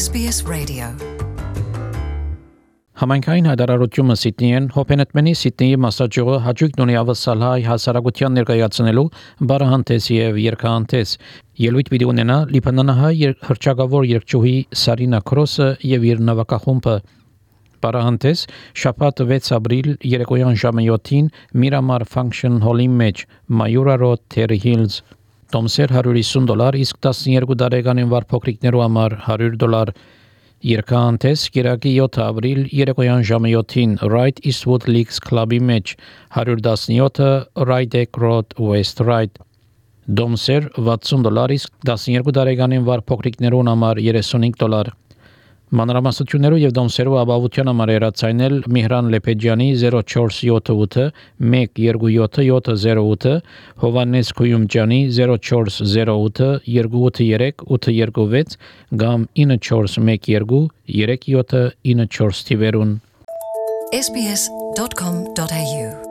SBS Radio. Համայնքային հայտարարությունը Սիդնեին հոբենետմենի Սիդնեի մասաճյուղը հաջողություն ունի ավսալհայ հասարակության ներկայացնելու բարահանտես եւ երկհանտես ելույթ պիտի ունենա լիբանանահայ հրճակավոր երկչուհի Սարինա Քրոսը եւ իր նավակախումբը բարահանտես շաբաթ 6 ապրիլ երեկոյան ժամը 7-ին Miramar Function Hall-ի մեջ Mayura Road Terry Hills Տոմսեր $150 իսկ 12 տարեկանին վար փոքրիկներու համար $100 Երկհանտես Կիրակի 7 ապրիլ երեկոյան ժամը 7-ին Right Eastwood Leagues Club-ի մեջ $117 Rydeck Road West Ryde Դոմսեր $60 իսկ 12 տարեկանին վար փոքրիկներուն համար $35 Մանրամասնություններով եւ դոմսերով ապահովության համար երացայնել Միհրան Լեփեջյանի 0478 127 Հովանես Քույումջյանի 0408 283 826 կամ 9412 3794 թիվերուն SBS.com.au